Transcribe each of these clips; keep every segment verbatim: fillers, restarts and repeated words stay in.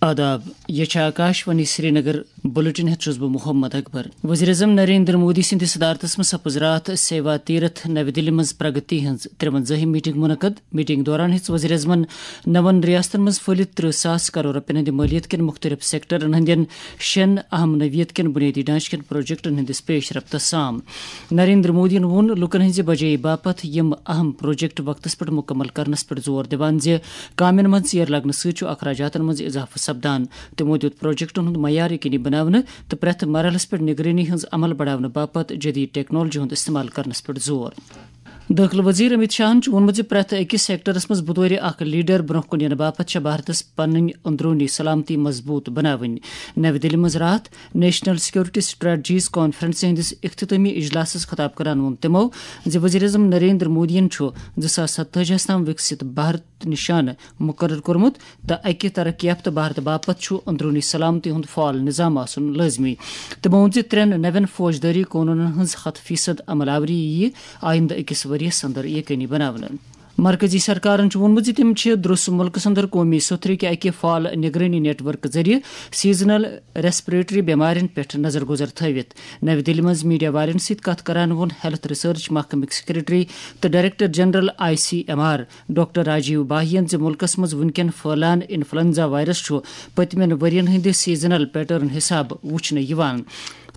آداب، یہ چھِ آکاش وانی سرینگر۔ بلیٹن ہیتھ چھُس بہٕ محمد اکبر۔ وزیر اعظم نریندر مودی سٕنٛدِ صدارتس منٛز سپٕز راتھ سیوا تیرتھ نَوِ دِلہِ منٛز پرگتی ہٕنٛز ترٛوَنزٲہِم میٹنگ منعقد۔ میٹنگ دوران ہیٚژ وزیر اعظمن نَوَن ریاستن منٛز پھٔہلِتھ ترٕہ ساس کرور رۄپین ہٕنٛدِ مٲلیت کٮ۪ن مُختٔلِف سیکٹرن ہٕنٛدٮ۪ن شٮ۪ن اہم نوعیت کٮ۪ن بُنیٲدی ڈھانچہٕ کٮ۪ن پروجیکٹن ہٕنٛدِس پیش رفتس سام۔ نریندر مودیَن ووٚن لوٗکَن ہٕنٛزِ بجٲیی باپتھ یِم اہم پروجیکٹ وقتس پٮ۪ٹھ مُکمل کرنس پٮ۪ٹھ زور دِوان زِ کامٮ۪ن منٛز ژیر لگنہٕ سۭتۍ چھُ اخراجاتن منٛز اضافہٕ سپدان۔ تِمو دیُت پروجیکٹن ہُنٛد معیار یقینی بناونہٕ تہٕ پرٛٮ۪تھ مرحلس پٮ۪ٹھ نگرٲنی ہٕنٛز عمل بڑاونہٕ باپتھ جدید ٹیکنالوجی ہُنٛد استعمال کرنس پٮ۪ٹھ زور۔ دٲخلہٕ وزیر امت شاہن چھُ ووٚنمُت زِ پرٛٮ۪تھ أکِس سیکٹرس منٛز بطور اکھ لیڈر برٛونٛہہ کُن یِنہٕ باپتھ چھےٚ بھارتس پنٕنۍ اندروٗنی سلامتی مضبوٗط بناونۍ۔ نَوِ دِلہِ منٛز راتھ نیشنل سیکورٹی سٹریٹجیز کانفرنسہِ ہٕنٛدِس اختتٲمی اجلاسس خطاب کران ووٚن تِمو زِ وزیر اعظم نریندر مودیَن چھُ زٕ ساس ستٲجی ہَس تام وِکسِت بھارت نشانہٕ مقرر کوٚرمُت تہٕ اَکہِ ترقی یافتہٕ بھارت باپتھ چھُ اندروٗنی سلامتی ہُنٛد فعال نظام آسُن لٲزمی۔ تِمو ووٚن زِ ترٛٮ۪ن نَوٮ۪ن فوجدٲری قونوٗنن ہٕنٛز ہَتھ فیصد عمل آوری یِیہِ آیندٕ أکِس ؤریَس اندر یقینی بناونہٕ۔ مرکزی سرکارن چھُ ووٚنمُت زِ تِم چھِ درُس مُلکس اندر قومی سوٚتھرِ کہِ اکہِ فعال نگرٲنی نیٹ ورک ذٔریعہٕ سیزنل ریسپریٹری بٮ۪مارٮ۪ن پٮ۪ٹھ نظر گُزر تھٲوِتھ۔ نَوِ دِلہِ منٛز میڈیا والٮ۪ن سۭتۍ کتھ کران ووٚن ہیلتھ ریسرچ محکمٕکۍ سیکرٹری تہٕ director general I C M R doctor Rajiv باہین زِ مُلکس منٛز وُنکٮ۪ن پھٔہلان انفلونزا وائرس چھُ پٔتمٮ۪ن ؤرین ہٕنٛدِ سیزنل پیٹرن حسابہٕ وُچھنہٕ یِوان۔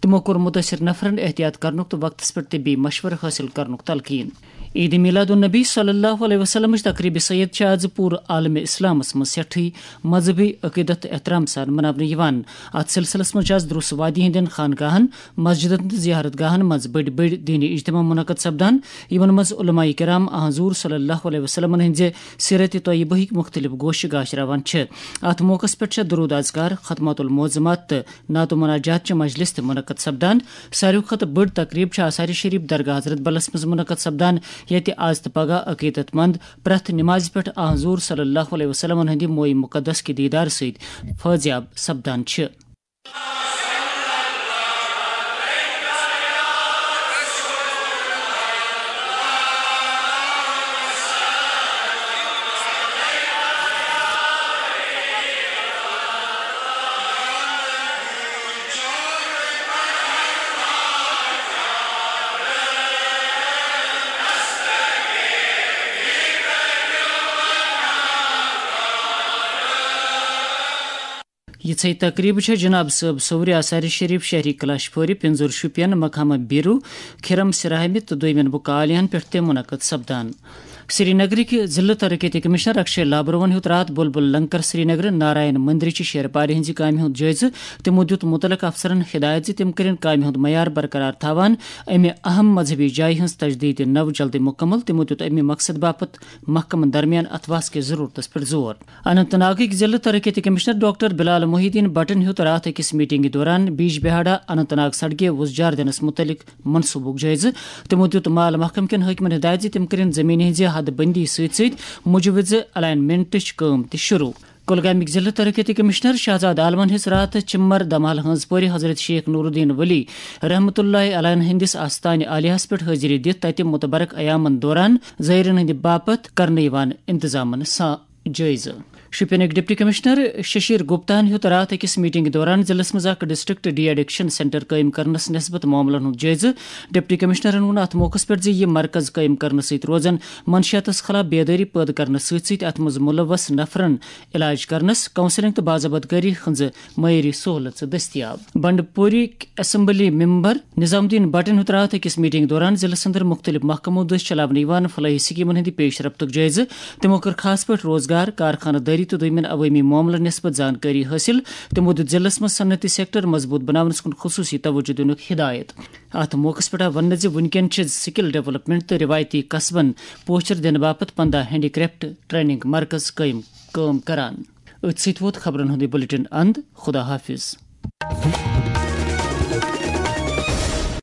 تِمو کوٚر مُتٲثِر نفرن احتیاط کرنُک تہٕ وقتس پٮ۪ٹھ طبی مشورٕ حٲصِل کرنُک تلقین۔ عید میلاد النبی صلی اللہ علیہ وسلمٕچ تقریب سید چھِ آز پوٗرٕ عالم اسلامس منٛز سٮ۪ٹھٕے مذہبی عقیدت تہٕ احترام سان مناونہٕ یِوان۔ اتھ سلسلس منٛز چھِ آز درُس وادی ہٕنٛدٮ۪ن خانقاہن، مسجدن تہٕ زیارت گاہن منٛز بٔڑۍ بٔڑۍ دینی اجتماع منعقد سپدان، یِمن منٛز علماء کرام آ حضور صلی اللہ علیہ وسلمن ہٕنٛزِ سیرت طیبہ ہٕکۍ مختلف گوشہِ گاش راوان چھِ۔ اتھ موقعس پٮ۪ٹھ چھےٚ درود اذکار، ختمات المعظمات تہٕ نعت و مناجات چہِ مجلس تہِ منعقد سپدان۔ ساروی کھۄتہٕ بٔڑ تقریب چھےٚ آثار شریف درگاہ حضرت بلس منٛز منعقد سپدان، ییٚتہِ آز تہٕ پگاہ عقیدت مند پرٛٮ۪تھ نمازِ پٮ۪ٹھ آ حضور صلی اللہ علیہ وسلمن ہٕنٛدِ مویہِ مقدس کہِ دیدار سۭتۍ فٲضیاب سپدان چھِ۔ یِژھے تقریبہٕ چھےٚ جناب صٲب صورِ آثار شریف شہری کلاش پورِ، پِنزُر شُپین، مقامہ بیرو، کھِرم سراہمہِ تہٕ دویمٮ۪ن بُکہٕ عالیہن پٮ۪ٹھ تہِ منعقد سپدان۔ سری نگرٕکۍ ضلعہٕ ترقیتی کمشنر اکشے لابروہن ہیوٚت راتھ بلبل لنکر سری نگر نارائن مندرٕچہِ شیرپارِ ہٕنٛزِ کامہِ ہُنٛد جٲیزٕ۔ تِمو دیُت مُتعلقہٕ افسرن ہدایت زِ تِم کٔرِن کامہِ ہُنٛد معیار برقرار تھاوان، امہِ اہم مذہبی جایہِ ہٕنٛز تجدید نو جلدی مکمل۔ تِمو دیُت امہِ مقصد باپتھ محکمن درمیان اتھواس کِس ضرورتس پٮ۪ٹھ زور۔ اننت ناگٕکۍ ضلعہٕ ترقیتی کمشنر ڈاکٹر بلال محی الدین بٹن ہیوٚت راتھ أکِس میٹنگہِ دوران بیج بہاڑا اننت ناگ سڑکہِ وُزجار دِنس مُتعلق منصوبُک جٲیزٕ۔ تِمو دیُت مال محکمہٕ کٮ۪ن حٲکمن ہدایت زِ تِم کٔرِن زٔمیٖن ہٕنٛزِ حد بندی سۭتۍ سۭتۍ مُجوِزٕ الائنمنٹٕچ کٲم تہِ شروع۔ کۄلگامیُک ضلعہٕ ترقیتی کمشنر شہزاد عالمن ہیٚژ راتھ چمر دمال ہٲنز پورِ حضرت شیخ نور الدین ولی رحمتہ اللہ علیہ ہٕنٛدِس آستانہِ عالیہس پٮ۪ٹھ حٲضری دِتھ تتہِ متبرک ایامن دوران زائرین ہٕنٛدِ باپتھ کرنہٕ یِوان انتظامن سا-، جٲیزٕ۔ شوپینٕکۍ ڈپٹی کمشنر ششیر گپتاہن ہیوٚت راتھ أکِس میٹنگہِ دوران ضلعس منٛز اکھ ڈسٹرکٹ ڈی ایڈکشن سینٹر قٲیِم کرنس نسبت معاملن ہُنٛد جٲیزٕ۔ ڈپٹی کمشنرن ووٚن اتھ موقعس پٮ۪ٹھ زِ یہِ مرکز قٲیِم کرنہٕ سۭتۍ روزن منشیاتس خلاف بیدٲری پٲدٕ کرنہٕ سۭتۍ سۭتۍ اتھ منٛز مُلوث نفرن علاج کرنس، کونسلنگ تہٕ باضابط کٲری ہٕنٛزٕ معیٲری سہولژٕ دٔستیاب۔ بنڈپوری اسمبلی ممبر نظام الدین بٹن ہیوٚت راتھ أکِس میٹنگ دوران ضلعس اندر مختلف محکمو دٔسۍ چلاونہٕ یِوان فلاحی سکیمن ہٕنٛدِ پیش رفتُک جٲیزٕ۔ تِمو کٔر خاص پٲٹھۍ روزگار، کارخانہٕ دٲری تہٕ دوٚیمٮ۪ن عوٲمی معاملن نسبت زانکٲری حٲصِل۔ تِمو دیُت ضلعس منٛز صنعتی سیکٹر مضبوط بناونس کُن خصوصی توجہ دِنُک ہدایت۔ اتھ موقعس پٮ۪ٹھ آو وننہٕ زِ وُنکٮ۪ن چھِ سکل ڈیولپمنٹ تہٕ روایتی کسبن پوچھر دِنہٕ باپتھ پنداہ ہینڈی کرافٹ ٹریننگ مرکز قٲیِم کٲم کران۔ أتھۍ سۭتۍ ووت خبرن ہُنٛد یہِ بلیٹن اند۔ خدا حافظ۔